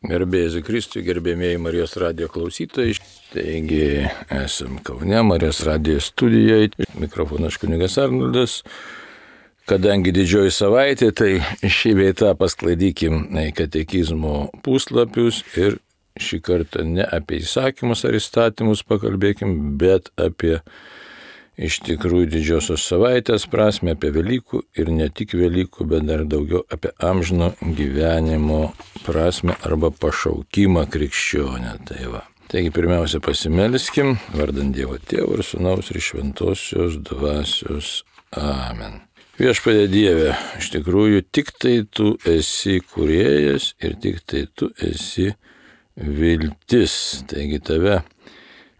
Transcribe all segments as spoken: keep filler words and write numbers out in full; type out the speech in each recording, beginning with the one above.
Garbėjai Kristui, gerbėmėjai Marijos radijo klausytojai. Taigi, esam Kaune, Marijos radijo studijoje. Mikrofonas kunigas Arnoldas. Kadangi didžioji savaitė, tai šį veitą pasklaidykim katekizmo puslapius ir šį kartą ne apie įsakymus ar įstatymus pakalbėkim, bet apie iš tikrųjų didžiosios savaitės prasme, apie Velykų ir ne tik Velykų, bet dar daugiau apie amžino gyvenimo prasme arba pašaukimą krikščionę. Tai va. Taigi pirmiausia pasimelskim, vardant Dievo Tėvo ir Sūnaus ir Šventosios Dvasios. Amen. Viešpatie Dieve, iš tikrųjų tik tai Tu esi kūrėjas ir tik tai Tu esi viltis. Taigi Tave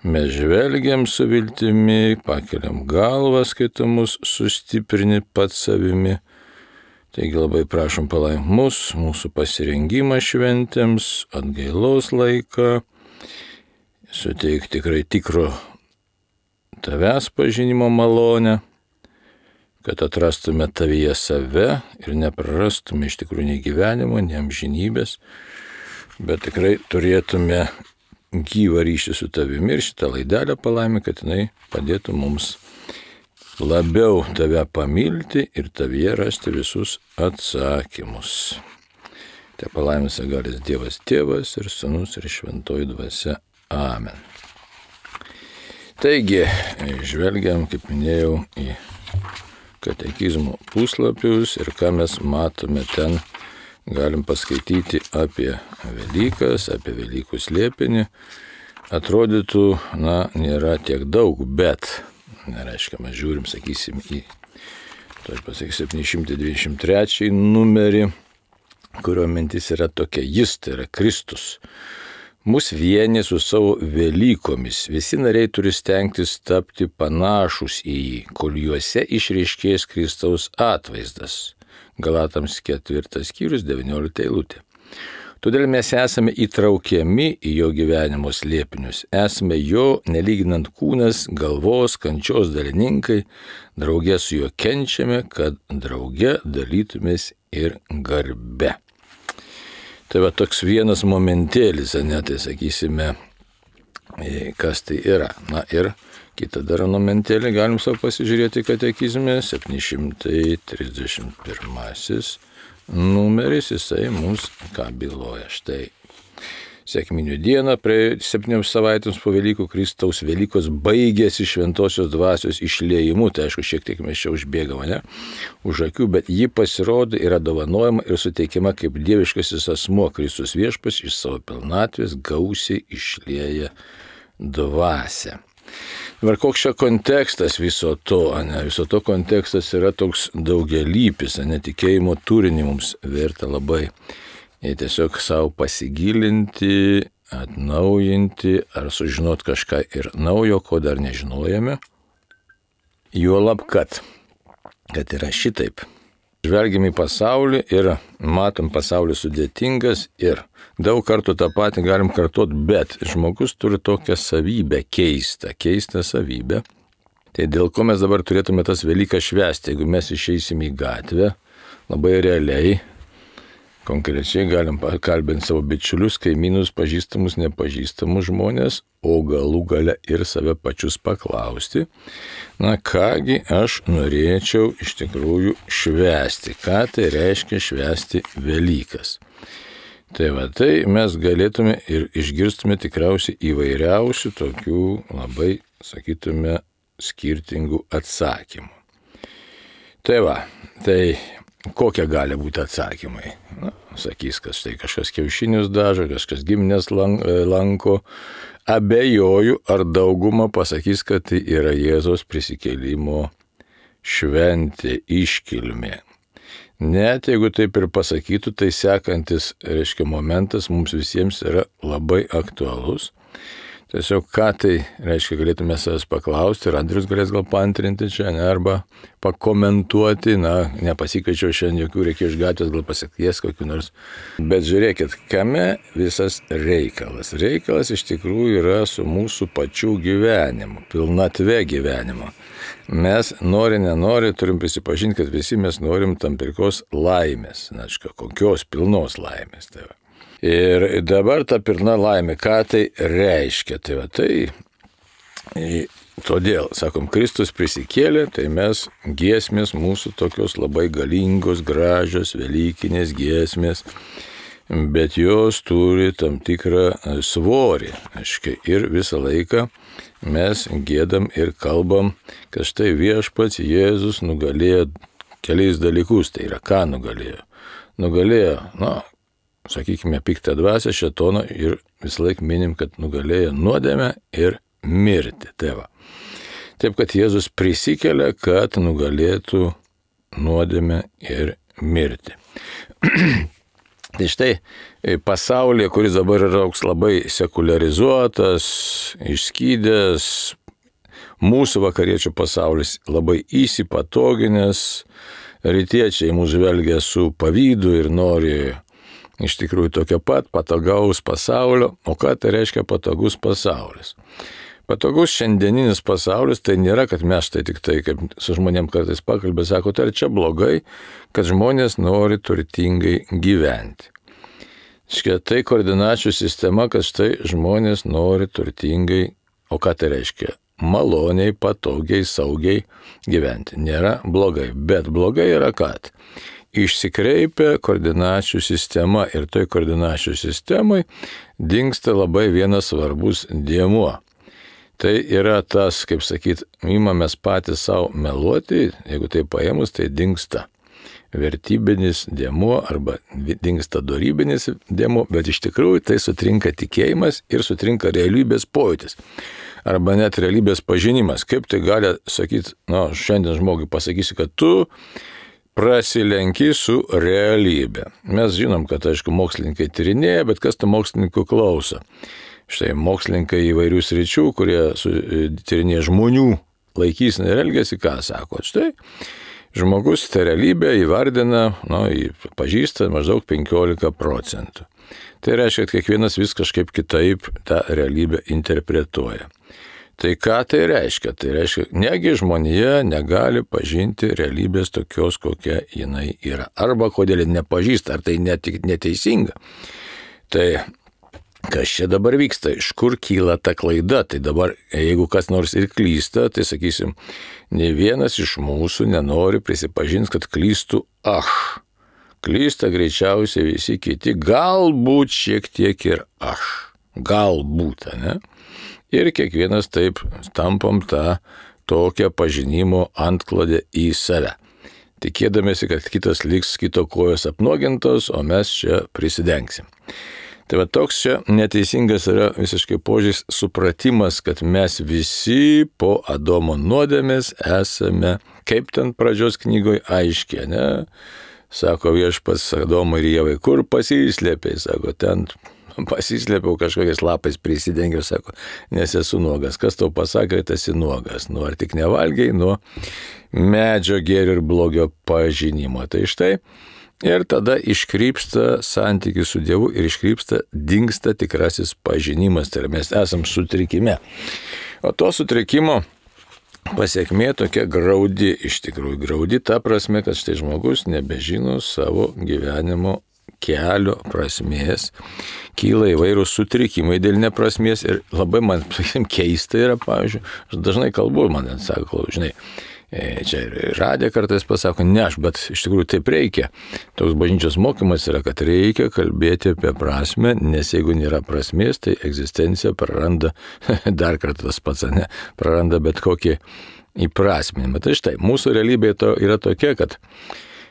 mes žvelgiam su viltimi, pakeliam galvas, kai Tu mus sustiprini pats savimi. Taigi labai prašom palaimink mus, mūsų pasirengimą šventėms, atgailos laiką, suteik tikrai tikro Tavęs pažinimo malonę, kad atrastume Tavyje save ir neprarastume iš tikrųjų nei gyvenimo, nei amžinybės, bet tikrai turėtume gyvą ryšį su Tavimi ir šitą laidelę palaimink, kad jinai padėtų mums labiau Tave pamilti ir Tavyje rasti visus atsakymus. Te palaimins galis Dievas Tėvas ir Sūnus ir Šventoji Dvasia. Amen. Taigi, žvelgiam, kaip minėjau, į katekizmo puslapius ir ką mes matome ten. Galim paskaityti apie Velykas, apie Velykų slėpinį. Atrodytų, na, nėra tiek daug, bet, nereiškia, mes žiūrim, sakysim, į, toj pasakyk, septyni šimtai dvidešimt trečią numerį, kurio mintis yra tokia, jis, tai yra Kristus. Mus vienė su savo Velykomis. Visi nariai turi stengtis tapti panašus į jį, kol juose išryškės Kristaus atvaizdas. Galatams ketvirtas skyrius, devyniolikta eilutė. Todėl mes esame įtraukiami į jo gyvenimo slėpinius. Esame jo, nelyginant kūnas, galvos, kančios dalininkai. Drauge su juo kenčiame, kad drauge dalytumės ir garbe. Tai va toks vienas momentėlis, ne, tai sakysime, kas tai yra. Na ir kitą dar momentėlį galim savo pasižiūrėti katekizme, septyni šimtai trisdešimt pirmasis numeris, jisai mums ką byloja. Štai sekminių dieną, praėjus septynioms savaitėms po Velykų, Kristaus Velykos baigėsi Šventosios Dvasios išliejimu. Tai aišku, šiek tiek mes čia užbėgame, ne, už akių, bet ji pasirodo, yra dovanojama ir suteikiama kaip dieviškasis asmuo. Kristus Viešpats iš savo pilnatvės gausiai išlieja dvasią. Dabar koks čia kontekstas viso to, ne? Viso to kontekstas yra toks daugialypis, netikėjimo turinį mums verta labai tiesiog savo pasigilinti, atnaujinti ar sužinot kažką ir naujo, ko dar nežinojame. Juolab, kad, kad yra šitaip. Žvelgiam į pasaulį ir matom pasaulį sudėtingas ir daug kartų tą patį galim kartuoti, bet žmogus turi tokią savybę keistą, keistą savybę. Tai dėl ko mes dabar turėtume tas Velykas švęsti, jeigu mes išeisim į gatvę, labai realiai, konkrečiai galim kalbinti savo bičiulius, kaimynus, pažįstamus, nepažįstamus žmonės, o galų gale ir save pačius paklausti, na kągi aš norėčiau iš tikrųjų švęsti, ką tai reiškia švęsti Velykas. Tai va, tai mes galėtume ir išgirstume tikriausiai įvairiausių tokių labai, sakytume, skirtingų atsakymų. Tai va, tai kokie gali būti atsakymai? Na, sakys, kad štai kažkas kiaušinius dažo, kažkas giminės lanko. Abejoju, ar dauguma pasakys, kad tai yra Jėzaus prisikėlimo šventė, iškilmė. Net jeigu taip ir pasakytų, tai sekantis, reiškia, momentas mums visiems yra labai aktualus. Tiesiog ką tai reiškia, galėtume savęs paklausti ir Andrius galės gal paantrinti čia, ne, arba pakomentuoti, na, nepasikviečiau šiandien jokių, reikia iš gatvės gal pasikvies kokių nors. Bet žiūrėkit, kame visas reikalas. Reikalas iš tikrųjų yra su mūsų pačių gyvenimu, pilnatve gyvenimo. Mes nori, nenori, turim prisipažinti, kad visi mes norim tam tikros laimės, na, kokios pilnos laimės. Tai va. Ir dabar ta pilna laimė, ką tai reiškia? Tai va tai, todėl, sakom, Kristus prisikėlė, tai mes giesmės mūsų tokios labai galingos, gražios, velykinės giesmės, bet jos turi tam tikrą svorį. Aiškiai, ir visą laiką mes gėdam ir kalbam, kad štai viešpats Jėzus nugalėjo keliais dalykus. Tai yra, ką nugalėjo? Nugalėjo, na, sakykime, piktą dvasią, šėtoną ir visą laiką minim, kad nugalėjo nuodėmę ir mirtį. Tai va. Taip, kad Jėzus prisikelia, kad nugalėtų nuodėmę ir mirtį. Tai štai pasaulyje, kuris dabar yra labai sekuliarizuotas, išskydęs, mūsų vakariečių pasaulis labai įsipatoginęs, rytiečiai mūsų žvelgia su pavydu ir nori iš tikrųjų tokio pat patogaus pasaulio. O ką tai reiškia patogus pasaulis? Patogus šiandieninis pasaulis tai nėra, kad mes tai tik tai, kaip su žmonėm kartais pakalbė, sako, tai ar čia blogai, kad žmonės nori turtingai gyventi. Škia, tai koordinačių sistema, kad štai žmonės nori turtingai, o ką tai reiškia? Maloniai, patogiai, saugiai gyventi. Nėra blogai, bet blogai yra, kad išsikreipia koordinačių sistema ir toj koordinačių sistemai dingsta labai vienas svarbus dėmuo. Tai yra tas, kaip sakyt, imamės patys savo meluoti, jeigu tai paėmus, tai dingsta vertybinis dėmuo arba dingsta dorybinis dėmuo, bet iš tikrųjų tai sutrinka tikėjimas ir sutrinka realybės pojūtis. Arba net realybės pažinimas. Kaip tai gali sakyti, na, šiandien žmogui pasakysi, kad tu prasilenki su realybė. Mes žinom, kad, aišku, mokslininkai tyrinėja, bet kas tų mokslininkų klauso? Štai mokslininkai įvairių sričių, kurie tyrinėja žmonių laikyseną ir elgesį, ką sako? Štai žmogus tą realybę įvardina, nu, pažįsta maždaug penkiolika procentų. Tai reiškia, kad kiekvienas vis kažkaip kitaip tą realybę interpretuoja. Tai ką tai reiškia? Tai reiškia, negi žmonija negali pažinti realybės tokios, kokia jinai yra. Arba kodėl nepažįsta, ar tai netik, neteisinga. Tai kas čia dabar vyksta, iš kur kyla ta klaida? Tai dabar, jeigu kas nors ir klysta, tai sakysim, ne vienas iš mūsų nenori prisipažinti, kad klystų aš. Klysta greičiausiai visi kiti, galbūt šiek tiek ir aš. Galbūt, ne? Ir kiekvienas taip tampam tą tokią pažinimo antklodę į save. Tikėdamėsi, kad kitas liks kito kojos apnuogintos, o mes čia prisidengsim. Tai va toks čia neteisingas yra visiškai požiūris, supratimas, kad mes visi po Adomo nuodėmės esame, kaip ten pradžios knygoje aiškiai, ne? Sako viešpats Adomui ir Ievai, kur pasislėpiai, sako, ten pasislėpiau kažkokiais lapais prisidengiau, sako, nes esu nuogas. Kas tau pasakė, kad esi nuogas? Nu, ar tik nevalgiai nuo medžio gėrio ir blogio pažinimo. Tai štai. Ir tada iškrypsta santykis su Dievu ir iškrypsta, dingsta tikrasis pažinimas, tai mes esam sutrikime. O to sutrikimo pasiekmė tokia graudi, iš tikrųjų graudi, ta prasme, kad štai žmogus nebežino savo gyvenimo kelio prasmės, kyla įvairūs sutrikimai dėl neprasmės ir labai man keista yra, pavyzdžiui, aš dažnai kalbu, man net sako, žinai, čia ir radė kartais pasako, ne aš, bet iš tikrųjų taip reikia. Toks bažnyčios mokymas yra, kad reikia kalbėti apie prasmę, nes jeigu nėra prasmės, tai egzistencija praranda, dar kartą tas pats, ne, praranda bet kokį įprasminimą. Tai štai, mūsų realybė to yra tokia, kad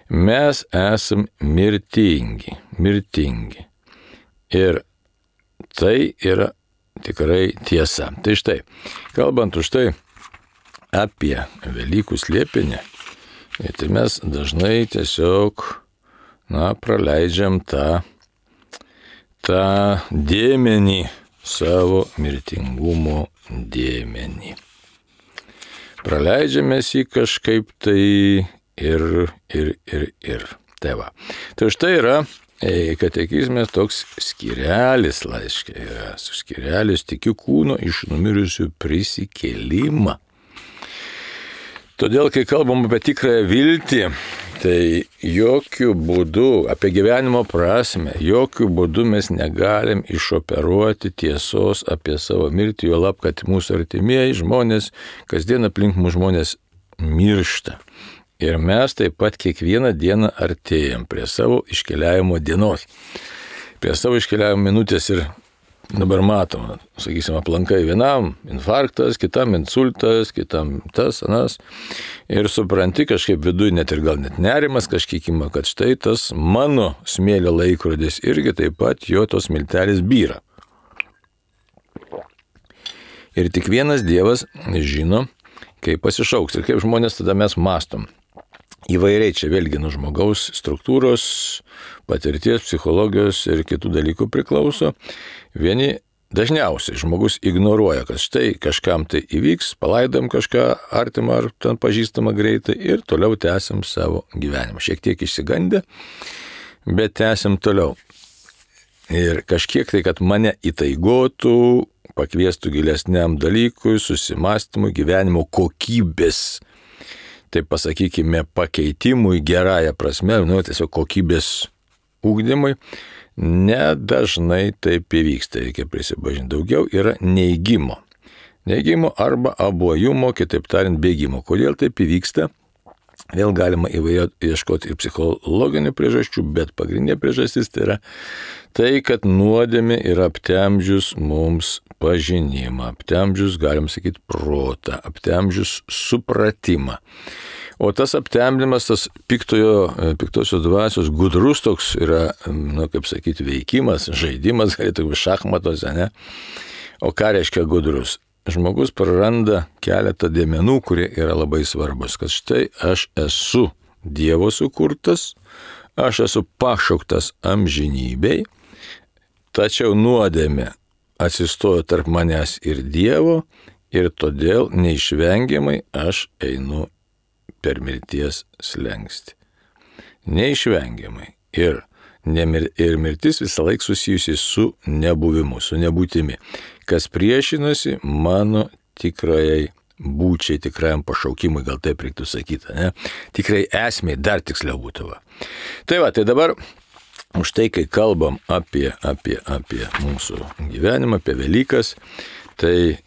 mes esam mirtingi, mirtingi. Ir tai yra tikrai tiesa. Tai štai, kalbant už tai, apie Velykų slėpinį, tai mes dažnai tiesiog, na, praleidžiam tą, tą dėmenį, savo mirtingumo dėmenį. Praleidžiamės jį kažkaip tai ir, ir, ir, ir. Tai va. Tai štai yra katekizme toks skyrelis laiške yra. Skyrelis tikiu kūno iš numirusių prisikėlimą. Todėl, kai kalbam apie tikrąją viltį, Tai jokių būdų, apie gyvenimo prasme, jokių būdų mes negalim išoperuoti tiesos apie savo mirtį, jo lab, kad mūsų artimieji žmonės, kasdien aplink mūsų žmonės miršta. Ir mes taip pat kiekvieną dieną artėjam prie savo iškeliavimo dienos, prie savo iškeliavimo minutės ir dabar matom, sakysim, aplankai vienam infarktas, kitam insultas, kitam tas, anas. Ir supranti kažkaip viduje net ir gal net nerimas kažkiek ima, kad štai tas mano smėlio laikrodis irgi taip pat jo tos miltelis byra. Ir tik vienas Dievas žino, kaip pasišauks ir kaip žmonės tada mes mastom. Įvairiai čia vėlgi nuo žmogaus struktūros, patirties, psichologijos ir kitų dalykų priklauso. Vieni dažniausiai žmogus ignoruoja, kad štai kažkam tai įvyks, palaidam kažką artimą ar ten pažįstamą greitai ir toliau tęsim savo gyvenimą. Šiek tiek išsigandę, bet tęsim toliau. Ir kažkiek tai, kad mane įtaigotų, pakviestų gilesniam dalykui, susimastymui, gyvenimo kokybės, taip pasakykime, pakeitimui gerąją prasme, nu, tiesiog kokybės ugdymui, nedažnai taip įvyksta, reikia prisipažinti. Daugiau yra neigimo. Neigimo arba abuojumo, kitaip tariant, bėgimo. Kodėl taip įvyksta? Vėl galima įvairiai ieškoti ir psichologinių priežasčių, bet pagrindinė priežastis tai yra tai, kad nuodėmė yra aptemdžius mums pažinimą, aptemdžius, galim sakyti, protą, aptemdžius supratimą. O tas aptemdymas, tas piktojo, piktosios dvasios gudrus toks yra, nu, kaip sakyti, veikimas, žaidimas, galėtų būti šachmatuose, ne? O ką reiškia gudrus? Žmogus praranda keletą dėmenų, kurie yra labai svarbus, kad štai aš esu Dievo sukurtas, aš esu pašauktas amžinybei, tačiau nuodėmė atsistojo tarp manęs ir Dievo ir todėl neišvengiamai aš einu per mirties slenkstį. Neišvengiamai. Ir, nemir, ir mirtis visą laiką susijusi su nebuvimu, su nebūtimi, kas priešinasi mano tikrajai būčiai, tikrajam pašaukimui, gal taip reiktų sakyti, ne? Tikrai esmė, dar tiksliau būtų. Va. Tai va, tai dabar už tai, kai kalbam apie, apie, apie mūsų gyvenimą, apie Velykas, tai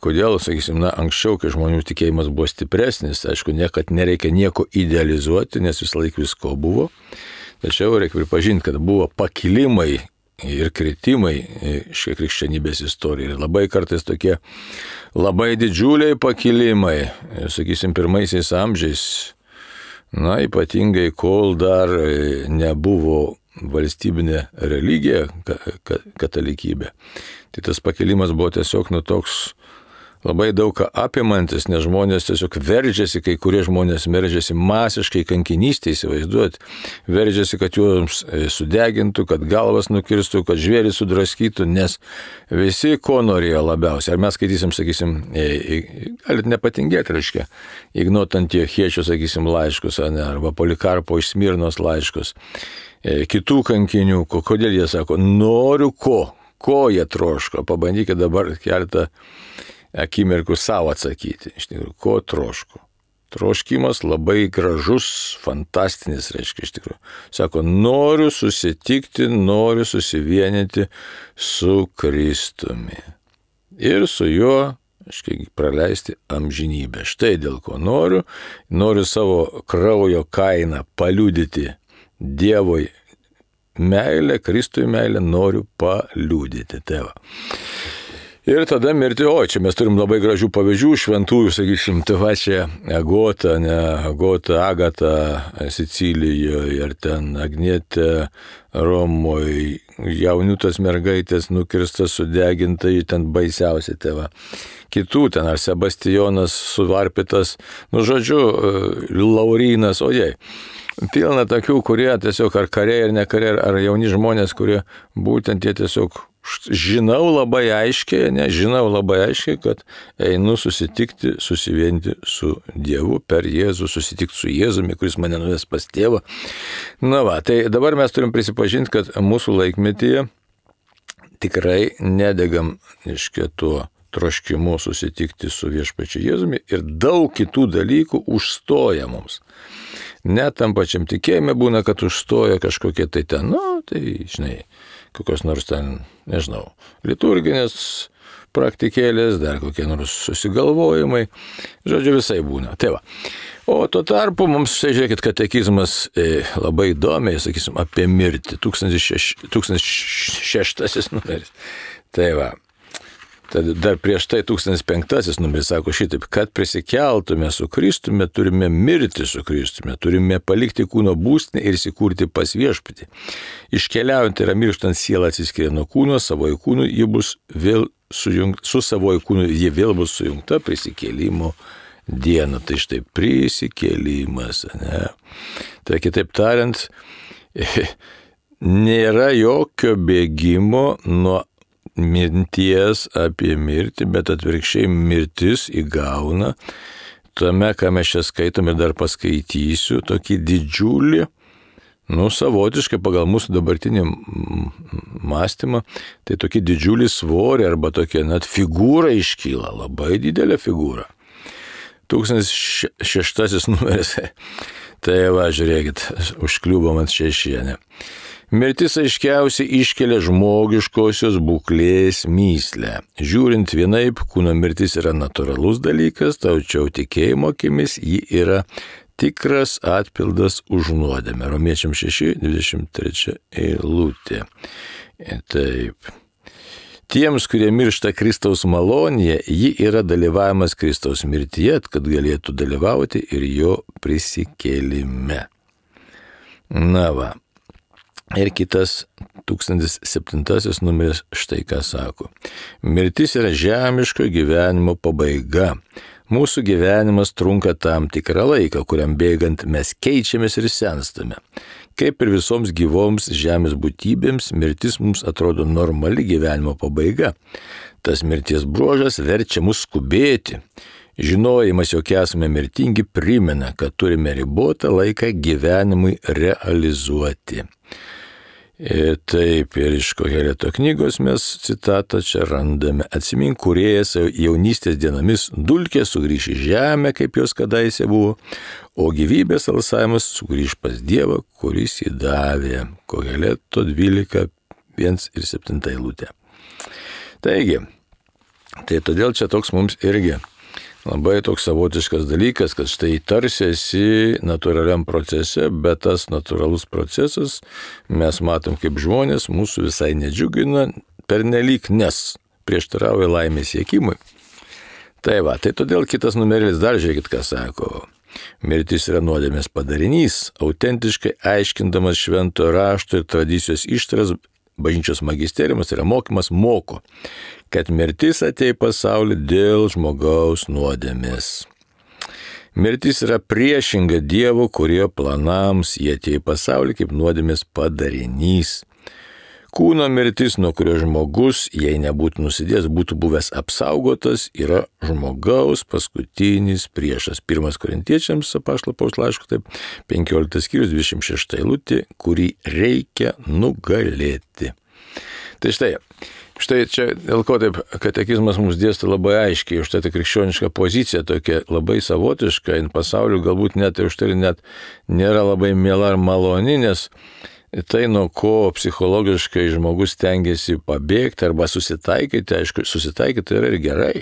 kodėl, sakysim, na, anksčiau, kai žmonių tikėjimas buvo stipresnis, aišku, niekad nereikia nieko idealizuoti, nes vis laik visko buvo, tačiau reikia pripažinti, kad buvo pakilimai ir kritimai šią krikščionybės istoriją. Ir labai kartais tokie labai didžiuliai pakilimai, sakysim, pirmaisiais amžiais, na, ypatingai, kol dar nebuvo valstybinė religija, katalikybė. Tai tas pakilimas buvo tiesiog nu toks labai daug apimantis, nes žmonės tiesiog veržėsi, kai kurie žmonės veržėsi masiškai kankinystė, įsivaizduot, veržėsi, kad juos sudegintų, kad galvas nukirstų, kad žvėrį sudraskytų, nes visi ko norėjo labiausiai. Ar mes skaitysim, sakysim, galit nepatingėti, reiškia, Ignoto Antiochiečio, sakysim, laiškus, ne, arba Polikarpo iš Smirnos laiškus, kitų kankinių, kodėl jie sako, noriu ko, ko jie troško, pabandykite dabar keletą akimirkų savo atsakyti. Iš tikrųjų, ko troško? Troškimas labai gražus, fantastinis, reiškia, iš tikrųjų. Sako, noriu susitikti, noriu susivienyti su Kristumi. Ir su juo, aiškiai, praleisti amžinybę. Štai dėl ko noriu. Noriu savo kraujo kainą paliudyti Dievui meilę, Kristui meilę, noriu paliudyti. Tai va. Ir tada mirti, o čia mes turim labai gražių pavyzdžių, šventųjų, sakysim, tai va čia Agota, ne, Agota, Agata Sicilijoje, ir ten Agnietė Romoje, jauniutas mergaitės nukirstas, sudeginta, ten baisiausia tėva. Kitų ten, ar Sebastijonas suvarpytas, nu žodžiu, Laurynas, ojei. Pilna tokių, kurie tiesiog ar kariai, ar nekariai, ar jauni žmonės, kurie būtent jie tiesiog žinau labai aiškiai, ne, žinau labai aiškiai, kad einu susitikti, susivienyti su Dievu per Jėzų, susitikti su Jėzumi, kuris mane nuves pas tėvą. Na va, tai dabar mes turim prisipažinti, kad mūsų laikmetyje tikrai nedegam iškia tuo troškimu susitikti su viešpačiu Jėzumi ir daug kitų dalykų užstoja mums. Net tam pačiam tikėjime būna, kad užstoja kažkokie tai ten, nu, tai, žinai, kokios nors ten, nežinau, liturginės praktikėlės, dar kokie nors susigalvojimai, žodžiu, visai būna. Tai va. O tuo tarpu mums, štai žiūrėkit, katekizmas e, labai įdomiai, sakysim, apie mirtį, tūkstantis šeštasis numeris. Tai va, tad dar prieš tai tūkstantis penktasis numeris sako šitaip, kad prisikeltume su Kristumi, turime mirti su Kristumi, turime palikti kūno būstinę ir įsikurti pas viešpatį. Iškeliaujant yra mirštant siela atsiskiria nuo kūno, savoji kūnu ji bus vėl sujungta, su savoji kūnu ji vėl bus sujungta prisikėlimo dieną. Tai štai prisikėlimas, ne? Tai kitaip tariant, nėra jokio bėgimo nuo minties apie mirtį, bet atvirkščiai mirtis įgauna tame, ką mes čia skaitom ir dar paskaitysiu, tokį didžiulį, nu, savotiškai pagal mūsų dabartinį mąstymą, tai tokį didžiulį svorį arba tokia net figūra iškyla, labai didelė figūra. Tūkstantis šeštasis numeris. Tai va, žiūrėkit, užkliuvom ant šešienę. Mirtis aiškiausiai iškelia žmogiškosios būklės mįslę. Žiūrint vienaip, kūno mirtis yra natūralus dalykas, tačiau tikėjimo akimis ji yra tikras atpildas už nuodėmę. Romiečiam šeši, dvidešimt trečia eilutė. Taip. Tiems, kurie miršta Kristaus malonėje, ji yra dalyvavimas Kristaus mirtyje, kad galėtų dalyvauti ir jo prisikėlime. Na va. Ir kitas tūkstantis septintasis numeris štai ką sako. Mirtis yra žemiško gyvenimo pabaiga. Mūsų gyvenimas trunka tam tikrą laiką, kuriam bėgant mes keičiamės ir senstame. Kaip ir visoms gyvoms žemės būtybėms, mirtis mums atrodo normali gyvenimo pabaiga. Tas mirties bruožas verčia mus skubėti. Žinojimas, jog esame mirtingi, primena, kad turime ribotą laiką gyvenimui realizuoti. Ir taip, ir iš Koheleto knygos mes citatą čia randame. Atsimink, kūrėjas jaunystės dienomis dulkė sugrįš į žemę, kaip jos kadaise buvo, o gyvybės alsavimas sugrįš pas Dievą, kuris jį davė. Koheleto dvylika, vienas ir septinta eilutė. Taigi, tai todėl čia toks mums irgi labai toks savotiškas dalykas, kad štai tarsi esi natūraliam procese, bet tas natūralus procesas, mes matom kaip žmonės, mūsų visai nedžiugina pernelyg, nes prieštarauja laimės siekimui. Tai va, tai todėl kitas numeris dar žiūrėkit, ką sako. Mirtis yra nuodėmės padarinys, autentiškai aiškindamas švento rašto ir tradicijos ištaras, bažnyčios magisteriumas yra mokymas moko, kad mirtis atėjo į pasaulį dėl žmogaus nuodėmės. Mirtis yra priešinga Dievo kūrėjo planams, jie atėjo į pasaulį kaip nuodėmės padarinys. Kūno mirtis, nuo kurio žmogus, jei nebūtų nusidėjęs, būtų buvęs apsaugotas, yra žmogaus paskutinis priešas. Pirmas Korintiečiams apaštalo Pauliaus laiško, taip, penkioliktas skyrius, dvidešimt šešta eilutė, kurį reikia nugalėti. Tai štai, štai čia dėl ko taip katekizmas mums dėsto labai aiškiai, už tai ta krikščioniška pozicija tokia labai savotiška, in pasauliu galbūt net ir už tai net nėra labai miela ar maloni, nes tai, nuo ko psichologiškai žmogus tengiasi pabėgti arba susitaikyti, aišku, susitaikyti yra ir gerai.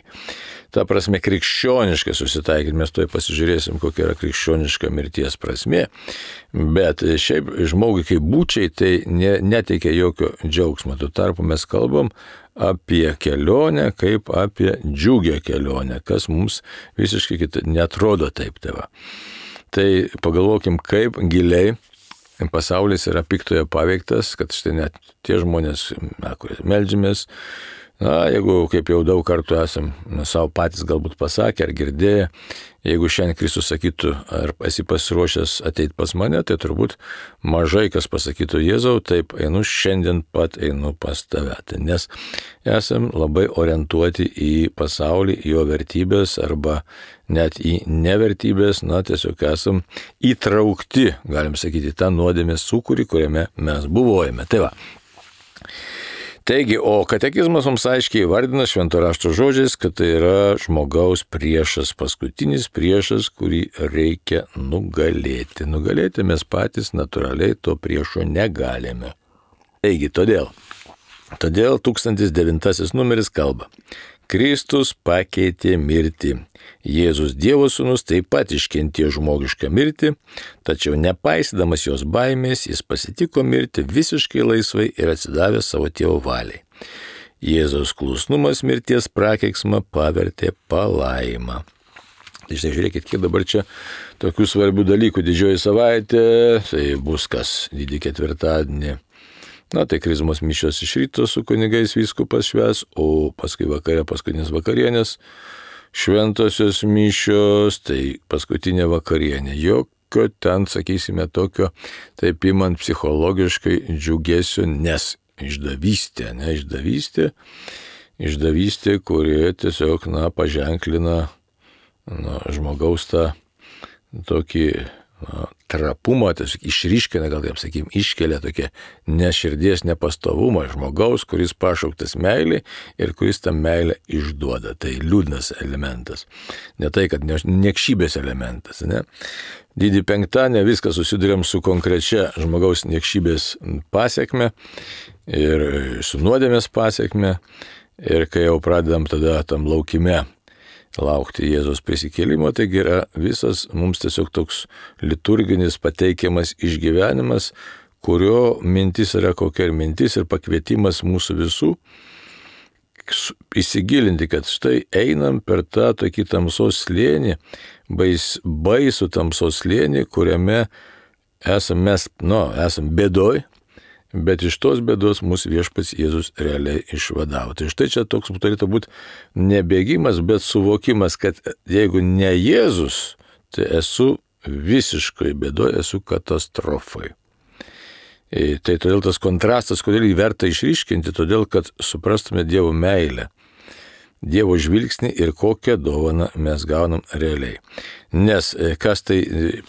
Ta prasme, krikščioniškai susitaikyti, mes toj pasižiūrėsim, kokia yra krikščioniška mirties prasmė, bet šiaip žmogui kaip būčiai tai ne, neteikia jokio džiaugsmo. Tuo tarpu mes kalbam apie kelionę kaip apie džiugę kelionę, kas mums visiškai kita, netrodo taip tėva. Tai pagalvokim, kaip giliai pasaulis yra piktoje paveiktas, kad štai net tie žmonės, na, kurie meldžiamės, na, jeigu kaip jau daug kartų esam na, savo patys galbūt pasakę ar girdėję, jeigu šiandien Kristus sakytų, ar esi pasiruošęs ateiti pas mane, tai turbūt mažai kas pasakytų, Jėzau, taip, einu šiandien pat einu pas tave. Nes esam labai orientuoti į pasaulį, į jo vertybės arba net į nevertybės, na, tiesiog esam įtraukti, galim sakyti, tą nuodėmės sūkurį, kuriame mes buvojame. Tai va. Taigi, o katekizmas mums aiškiai įvardina švento rašto žodžiais, kad tai yra žmogaus priešas, paskutinis priešas, kurį reikia nugalėti. Nugalėti mes patys natūraliai to priešo negalime. Taigi, todėl, todėl tūkstantis devintasis numeris kalba. Kristus pakeitė mirtį. Jėzus Dievo sūnus taip pat iškentėjo žmogišką mirtį, tačiau nepaisydamas jos baimės, jis pasitiko mirtį visiškai laisvai ir atsidavė savo tėvo valiai. Jėzaus klusnumas mirties prakeiksmą pavertė palaimą. Tai štai žiūrėkit, kiek dabar čia tokių svarbių dalykų. Didžioji savaitė, tai bus kas didį ketvirtadienį. Na, tai krizmos mišios iš ryto su kunigais vyskupas švęs, o paskui vakare paskutinės vakarienės, šventosios mišios, tai paskutinė vakarienė. Jokio ten, sakysime, tokio, taip imant psichologiškai džiugesio, nes išdavystė, ne išdavystė, išdavystė, kurie tiesiog, na, paženklina na, žmogaus tą tokį na, trapumą, tiesiog išryškina, gal taip sakykim, iškelia tokia neširdies nepastovumą žmogaus, kuris pašauktas meilį ir kuris tą meilę išduoda. Tai liūdnas elementas. Ne tai, kad niekšybės elementas. Ne? Didį penktadienį viską susidurėm su konkrečia žmogaus niekšybės pasiekme ir su nuodėmės pasiekme. Ir kai jau pradedam tada tam laukime laukti Jėzaus prisikėlimo, taigi yra visas mums tiesiog toks liturginis pateikiamas išgyvenimas, kurio mintis yra kokia ir mintis ir pakvietimas mūsų visų įsigilinti, kad štai einam per tą tokį tamsos slėnį, bais, baisų tamsos slėnį, kuriame esam mes, nu, esam bėdoj, bet iš tos bėdos mūsų viešpats Jėzus realiai išvadavo. Tai štai čia toks turėtų būti ne bėgimas, bet suvokimas, kad jeigu ne Jėzus, tai esu visiškai bėdoj, esu katastrofai. Tai todėl tas kontrastas, kodėl jį verta išryškinti, todėl kad suprastume Dievo meilę, Dievo žvilgsnį ir kokią dovaną mes gaunam realiai. Nes kas tai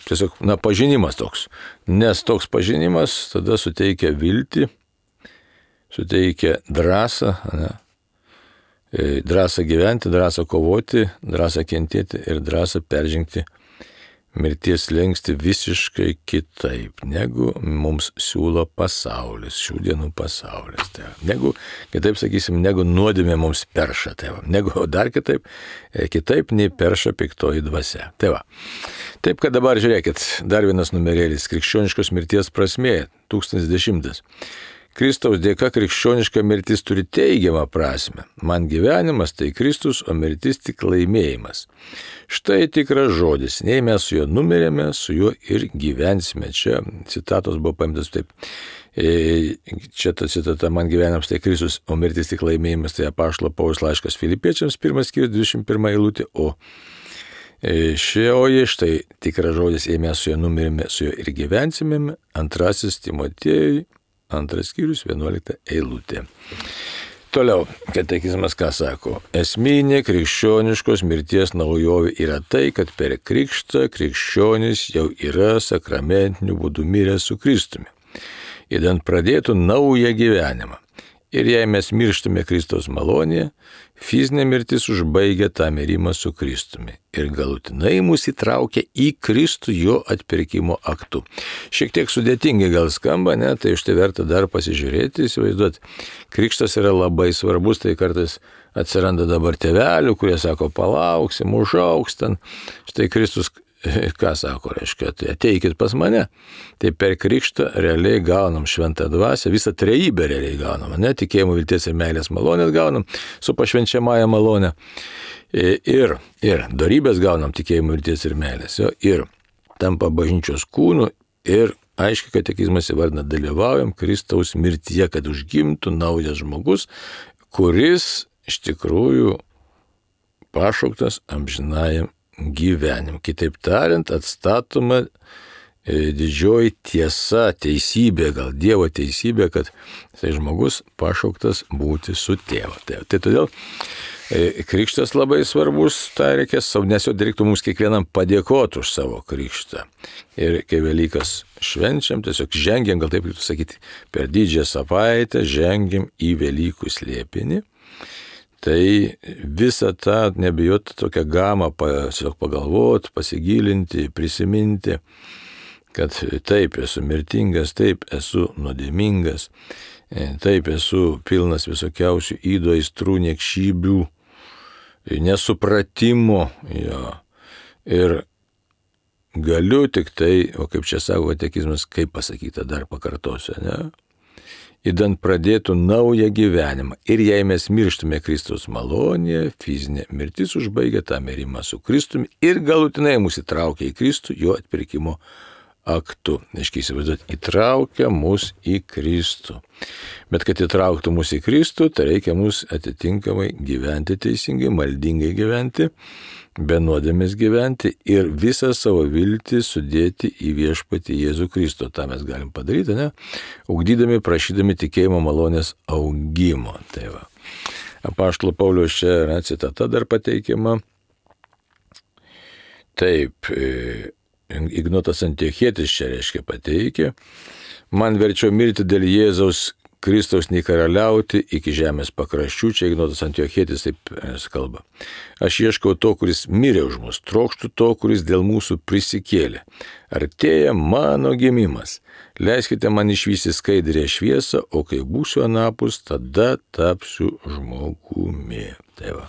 tiesiog, na, pažinimas toks. Nes toks pažinimas tada suteikia viltį, suteikia drąsą, ne? Drąsą gyventi, drąsą kovoti, drąsą kentėti ir drąsą peržengti mirties slenkstį visiškai kitaip, negu mums siūlo pasaulis, šių dienų pasaulis. Tai, negu, kitaip sakysim, negu nuodėmė mums perša, tai va, negu dar kitaip, kitaip nei perša piktoji dvasia. Tai va. Taip, kad dabar žiūrėkit, dar vienas numerėlis, krikščioniškos mirties prasmė, tūkstantis dešimtas. Kristaus dėka krikščioniška mirtis turi teigiamą prasme. Man gyvenimas tai Kristus, o mirtis tik laimėjimas. Štai tikras žodis. Nei mes su juo numirėme, su juo ir gyvensime. Čia citatos buvo paimtas taip. Čia ta citata, man gyvenimas tai Kristus, o mirtis tik laimėjimas. Tai apaštalo Pauliaus laiškas Filipiečiams, pirmas skyrius, dvidešimt pirma eilutė. O šioji, štai tikras žodis, jei mes su juo numirėme, su juo ir gyvensime. Antrasis Timotiejui. Antras skyrius, vienuolikta eilutė. Toliau, katekizmas ką sako? Esminė krikščioniškos mirties naujovė yra tai, kad per krikštą krikščionis jau yra sakramentiniu būdu miręs su Kristumi, idant pradėtų naują gyvenimą. Ir jei mes mirštame Kristaus malonėje, fizinė mirtis užbaigia tą mirimą su Kristumi ir galutinai mus įtraukia į Kristų jo atpirkimo aktu. Šiek tiek sudėtingai gal skamba, ne, tai iš tai verta dar pasižiūrėti, įsivaizduoti. Krikštas yra labai svarbus, tai kartais atsiranda dabar tėvelių, kurie sako, palauksim, užaugs ten. Štai Kristus ką sako, reiškia, tai ateikit pas mane. Tai per krikštą realiai gaunam šventą dvasią, visą trejybę realiai gaunam, ne, tikėjimo, vilties ir meilės malonės gaunam su pašvenčiamąja malonė. Ir, ir dorybės gaunam tikėjimo, vilties ir meilės. Jo, ir tampa bažnyčios kūnu ir aiškiai katekizmas įvardina, dalyvaujam Kristaus mirtyje, kad užgimtų naujas žmogus, kuris iš tikrųjų pašauktas amžinajam gyvenim. Kitaip tariant, atstatoma e, didžioji tiesa, teisybė, gal Dievo teisybė, kad tai žmogus pašauktas būti su tėvu. Tai, tai todėl Krikštas labai svarbus, tai reikės, nes jau reiktų mums kiekvienam padėkoti už savo krikštą. Ir kai Velykas švenčiam, tiesiog žengiam, gal taip reiktų sakyti, per didžiąją savaitę žengiam į Velykų slėpinį. Tai visą tą nebijot tokią gamą tiesiog pagalvoti, pasigilinti, prisiminti, kad taip esu mirtingas, taip esu nuodėmingas, taip esu pilnas visokiausių įdo, aistrų, niekšybių, nesupratimo. Jo. Ir galiu tik tai, o kaip čia sako katekizmas, kaip pasakyta, dar pakartosiu, ne? Įdant pradėtų naują gyvenimą. Ir jei mes mirštume Kristaus malonėje, fizinė mirtis užbaigia tą mirimą su Kristumi ir galutinai mus įtraukia į Kristų jo atpirkimo aktu. Aiškiai įsivaizduot, įtraukia mus į Kristų. Bet kad įtrauktų mus į Kristų, tai reikia mus atitinkamai gyventi teisingai, maldingai gyventi, be nuodėmės gyventi ir visą savo viltį sudėti į viešpatį Jėzų Kristų. Ta mes galim padaryti, ne? Ugdydami, prašydami tikėjimo malonės augimo. Tai va. Apaštalo Pauliaus čia yra citata dar pateikiama. Taip, Ignotas Antiochietis čia reiškia pateikė. Man verčiau mirti dėl Jėzaus Kristaus nei karaliauti iki žemės pakraščių. Čia Ignotas Antiochietis taip kalba. Aš ieškau to, kuris mirė už mus, trokštų to, kuris dėl mūsų prisikėlė. Artėja mano gimimas. Leiskite man išvysti skaidrę šviesą, o kai būsiu anapus, tada tapsiu žmogumi. Tai va.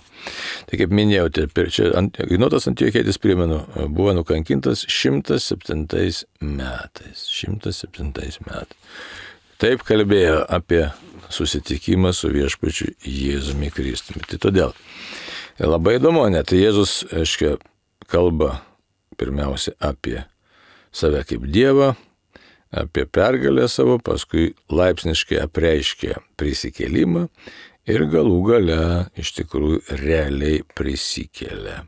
Tai kaip minėjau, čia Ignotas Antiochietis, primenu, buvo nukankintas šimtas septintais metais. šimtas septintais metais. Taip kalbėjo apie susitikimą su viešpačiu Jėzumi Kristumi. Tai todėl labai įdomu, net Jėzus, aiškiai, kalba pirmiausia apie save kaip Dievą, apie pergalę savo, paskui laipsniškai apreiškė prisikėlimą ir galų gale iš tikrųjų realiai prisikėlė.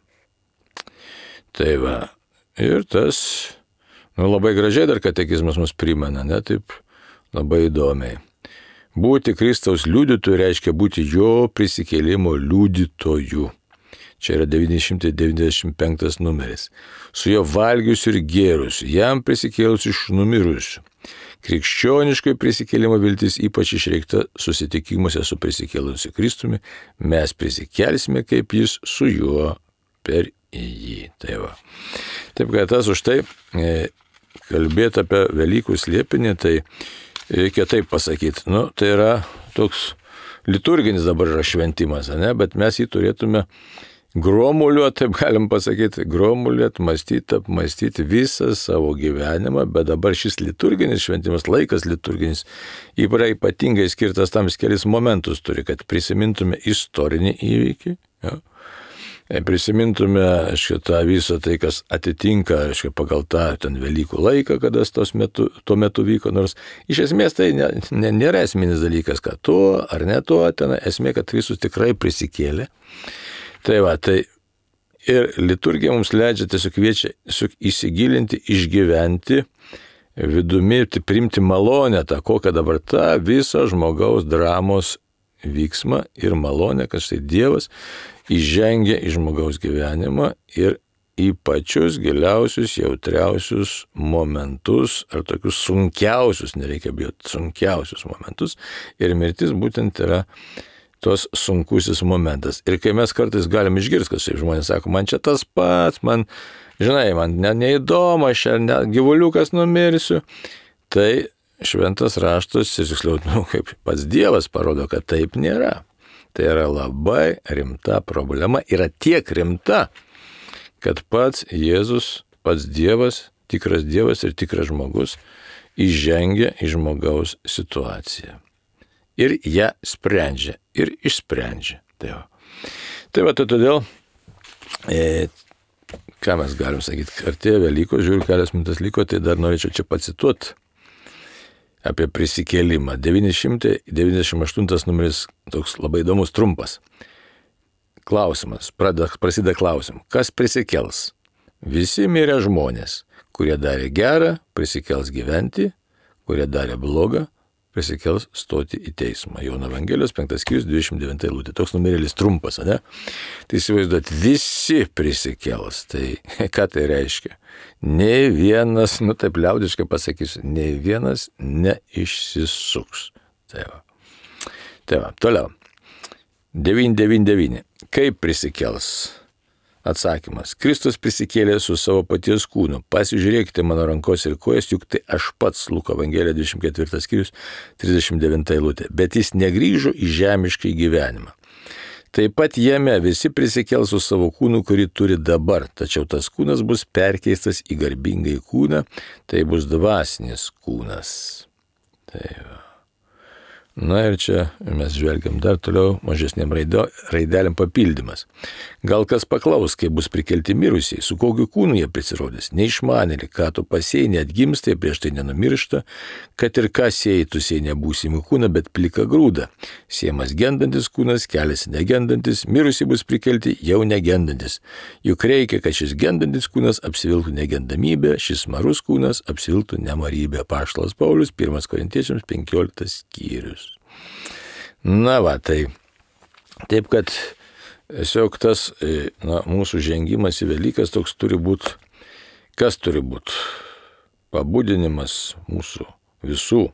Tai va, ir tas, nu, labai gražiai dar katekizmas mus primena, ne, taip labai įdomiai. Būti Kristaus liudytoju reiškia būti jo prisikėlimo liudytoju. Čia yra devyni šimtai devyniasdešimt penktas numeris. Su jo valgiusiu ir gėrusiu, jam prisikėlus iš numirusių. Krikščioniškoji prisikėlimo viltis ypač išreikta susitikimuose su prisikėlusiu Kristumi. Mes prisikelsime kaip jis su juo per jį. Tai va. Taip, kad tas už tai e, kalbėti apie Velykų slėpinį, tai reikia taip pasakyti. Nu, tai yra toks liturginis dabar yra šventimas, ne? Bet mes jį turėtume gromuliuoti, taip galim pasakyti, gromuliuoti, mąstyti, apmąstyti visą savo gyvenimą, bet dabar šis liturginis šventimas, laikas liturginis, ypatingai skirtas tam kelis momentus turi, kad prisimintume istorinį įvykį, ja? Prisimintume šitą visą tai, kas atitinka šitą, pagal tą ten Velykų laiką, kada tos metu, tuo metu vyko, nors iš esmės tai ne, ne, nėra esminis dalykas, kad tuo ar ne tuo, ten esmė, kad Kristus tikrai prisikėlė. Tai va, tai ir liturgija mums leidžia tiesiog kviečia tiesiog įsigilinti, išgyventi vidumi, tai priimti malonę tą, kokią dabar tą visą žmogaus dramos vyksmą ir malonę, kad štai Dievas įžengia į žmogaus gyvenimą ir į pačius giliausius, jautriausius momentus, ar tokius sunkiausius, nereikia bijoti, sunkiausius momentus. Ir mirtis būtent yra tos sunkusis momentas. Ir kai mes kartais galim išgirsti, kad žmonės sako, man čia tas pats, man, žinai, man ne, neįdomu, aš čia ne, gyvuliukas numirsiu, tai šventas raštas, tiksliau, nu, kaip pats Dievas parodo, kad taip nėra. Tai yra labai rimta problema, yra tiek rimta, kad pats Jėzus, pats Dievas, tikras Dievas ir tikras žmogus įžengia į žmogaus situaciją. Ir ją sprendžia, ir išsprendžia. Tai va, tai va tai todėl, e, ką mes galim sakyti, artėja Velykos, žiūriu, kelias minutės liko, tai dar norėčiau čia pacituoti apie prisikėlimą. devyni šimtai devyniasdešimt aštuntas numeris, toks labai įdomus, trumpas. Klausimas, prasideda klausimu, kas prisikels? Visi mirę žmonės, kurie darė gerą, prisikels gyventi, kurie darė blogą, prisikels stoti į teismą. Jono Evangelijos penktas skyrius dvidešimt devinta eilutė. Toks numerėlis trumpas, ne? Tai įsivaizduot, visi prisikels. Tai ką tai reiškia? Nei vienas, nu taip liaudiškai pasakysiu, nei vienas neišsisuks. Tai va. Tai va, toliau. devyni devyni devyni. Kaip prisikels? Atsakymas. Kristus prisikėlė su savo paties kūnu. Pasižiūrėkite mano rankos ir kojas, juk tai aš pats, Luko Evangelija dvidešimt ketvirtas skyrius trisdešimt devinta eilutė. Bet jis negrįžo į žemišką gyvenimą. Taip pat jame visi prisikels su savo kūnu, kurį turi dabar, tačiau tas kūnas bus perkeistas į garbingai kūną, tai bus dvasinis kūnas. Tai va. Na ir čia mes žvelgiam dar toliau mažesniam raidelėm papildymas. Gal kas paklaus, kai bus prikelti mirusiai, su kokiu kūnu jie prisirodys. Neišmanėlį, ką tu pasėjai, neatgimsta, prieš tai nenumiršta, kad ir ką sėjai, tu sėjai nebūsimį kūną, bet pliką grūdą. Sėjamas gendantis kūnas, keliasi negendantis, mirusiai bus prikelti jau negendantis. Juk reikia, kad šis gendantis kūnas apsivilktų negendamybę, šis marus kūnas apsivilktų nemarybę. Apaštalas Paulius, pirmas Korintiečiams penkioliktas skyrius. Na va, tai taip, kad tiesiog tas na, mūsų žengimas į Velykas toks turi būti, kas turi būti? Pabudinimas mūsų visų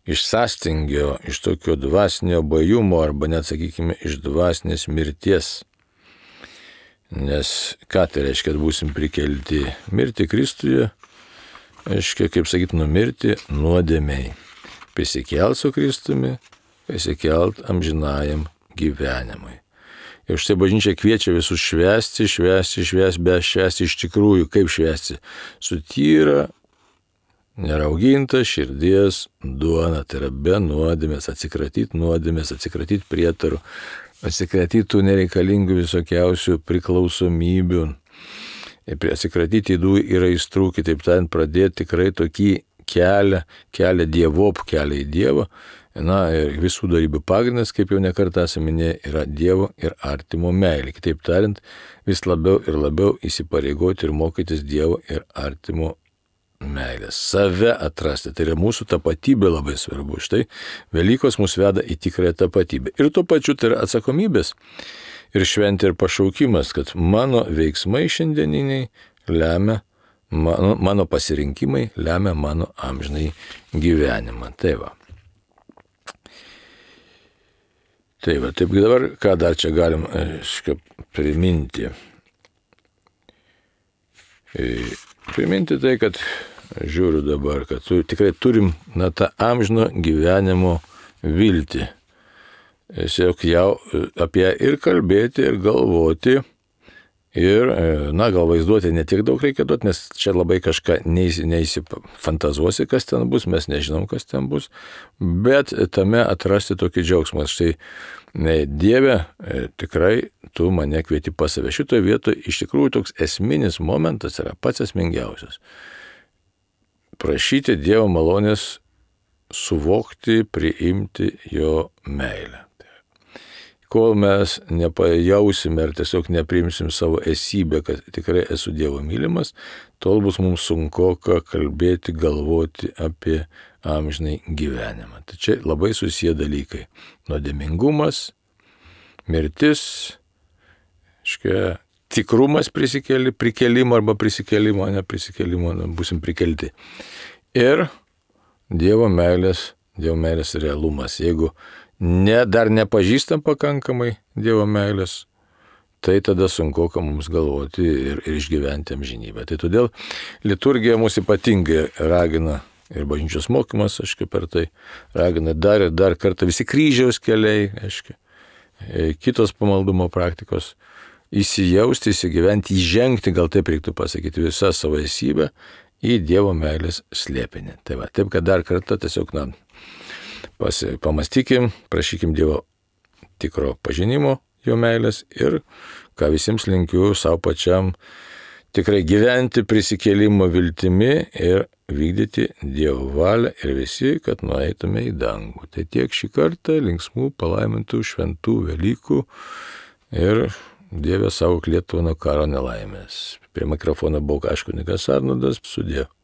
iš sąstingio, iš tokio dvasinio bajumo arba net, sakykime, iš dvasinės mirties. Nes ką tai reiškia, kad būsim prikelti mirti Kristuje, reiškia, kaip sakyti, numirti nuodėmei. Prisikelt su Kristumi, prisikelt amžinajam gyvenimui. Ir štai bažnyčia kviečia visus švęsti, švęsti, švęsti, bet švęsti iš tikrųjų. Kaip švęsti? Su tyra, nerauginta širdies duona, tai yra be nuodėmės, atsikratyti nuodėmės, atsikratyti prietarų, atsikratyti tų nereikalingų visokiausių priklausomybių, atsikratyti ydų ir aistrų, kitaip tariant, pradėti tikrai tokį kelią, kelią dievop, kelią į Dievą. Na ir visų darybių pagrindas, kaip jau nekartą esame minėję, yra Dievo ir artimo meilė. Kitaip tariant, vis labiau ir labiau įsipareigoti ir mokytis Dievo ir artimo meilės. Save atrasti, tai yra mūsų tapatybė labai svarbu. Štai Velykos mus veda į tikrąją tapatybę. Ir tuo pačiu tai yra atsakomybės ir šventė ir pašaukimas, kad mano veiksmai šiandieniniai lemia Mano, mano pasirinkimai lemia mano amžinai gyvenimą. Tai va. Tai va, taip dabar, ką dar čia galim aiškia, priminti. Priminti tai, kad žiūriu dabar, kad tu, tikrai turim na, tą amžino gyvenimo viltį. Tiesiog jau apie ją ir kalbėti, ir galvoti. Ir, na, gal vaizduoti ne tiek daug reikia duoti, nes čia labai kažką neįsifantazuosi, kas ten bus, mes nežinom, kas ten bus, bet tame atrasti tokį džiaugsmą. Štai, Dieve, tikrai tu mane kvieti pas save. Šitoje vietoje iš tikrųjų toks esminis momentas yra pats esmingiausias. Prašyti Dievo malonės suvokti, priimti jo meilę. Kol mes nepajausime ar tiesiog nepriimsim savo esybę, kad tikrai esu Dievo mylimas, tol bus mums sunku kalbėti, galvoti apie amžinai gyvenimą. Tai čia labai susiję dalykai. Nuodėmingumas, mirtis, iškia, tikrumas prisikėli, prikelimo arba prisikėlimo, ne prisikėlimo, būsim prikelti. Ir Dievo meilės, Dievo meilės realumas. Jeigu Ne, dar nepažįstam pakankamai Dievo meilės, tai tada sunku, ką mums galvoti ir, ir išgyventi amžinybę. Tai todėl liturgija mūsų ypatingai ragina ir bažnyčios mokymas, aiškiai, per tai ragina dar ir dar kartą visi kryžiaus keliai, aiškiai, kitos pamaldumo praktikos, įsijausti, įsigyventi, įžengti, gal taip reiktų pasakyti, visą savo esybę į Dievo meilės slėpinį. Tai va, taip, kad dar kartą tiesiog, na, Pasi, pamastykim, prašykim Dievo tikro pažinimo, jo meilės ir ką visiems linkiu savo pačiam tikrai gyventi prisikėlimo viltimi ir vykdyti Dievo valią ir visi, kad nueitume į dangų. Tai tiek šį kartą, linksmų, palaimintų, šventų Velykų ir Dieve saugok Lietuvą nuo karo nelaimės. Prie mikrofono buvo kunigas Arnoldas, sudie.